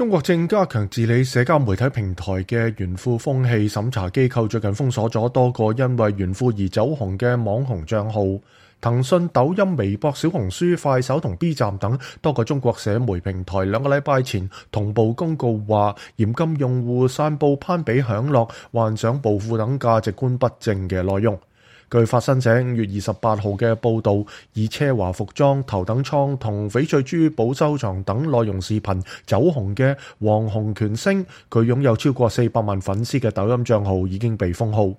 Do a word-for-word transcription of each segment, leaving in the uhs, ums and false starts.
中國正加強治理社交媒體平台嘅炫富風氣，審查機構最近封鎖咗多個因為炫富而走紅嘅網紅賬號。騰訊、抖音、微博、小紅書、快手同 B 站等多個中國社媒平台兩個禮拜前同步公告話，嚴禁用戶散布攀比享樂、幻想暴富等價值觀不正嘅內容。據法新社五月二十八號嘅報導，以奢華服裝、頭等艙同翡翠珠寶收藏等內容視頻走紅嘅黃洪權星，佢擁有超過四百萬粉絲嘅抖音帳號已經被封號。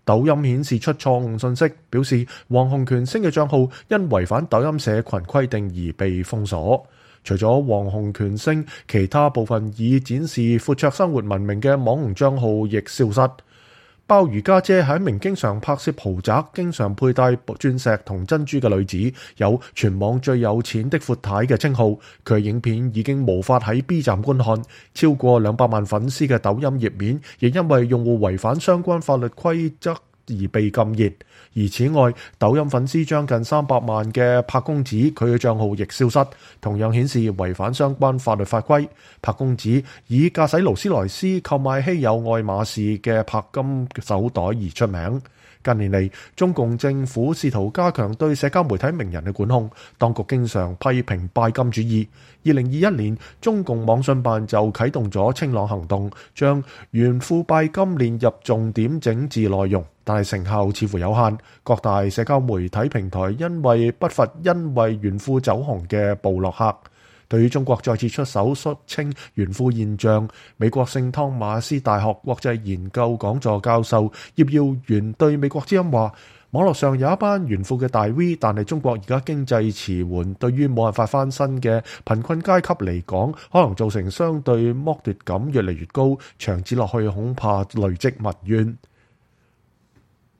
抖音顯示出錯誤信息，表示黃洪權星嘅帳號因違反抖音社群規定而被封鎖。除咗黃洪權星，其他部分以展示闊綽生活聞名嘅網紅帳號亦消失。鮑魚家姐係一名經常拍攝豪宅、經常佩戴鑽石同珍珠嘅女子，有全網最有錢的闊太嘅稱號。佢影片已經無法喺 B 站觀看，超過兩百萬粉絲嘅抖音頁面亦因為用戶違反相關法律規則而被禁言。而此外，抖音粉絲將近三百萬嘅柏公子，佢嘅帳號亦消失，同樣顯示違反相關法律法規。柏公子以駕駛勞斯萊斯、購買稀有愛馬仕嘅柏金手袋而出名。近年嚟，中共政府試圖加強對社交媒體名人嘅管控，當局經常批評拜金主義。二零二一年，中共網信辦就啟動咗清朗行動，將炫富拜金列入重點整治內容，但係成效似乎有限。各大社交媒體平台因為不乏因為炫富走紅嘅部落客。對於中國再次出手肅清炫富現象，美國聖湯馬斯大學國際研究講座教授葉耀元對美國之音話：網絡上有一班炫富嘅大 V， 但係中國而家經濟遲緩，對於冇辦法翻身嘅貧困階級嚟講，可能造成相對剝奪感越嚟越高，長此落去恐怕累積民怨。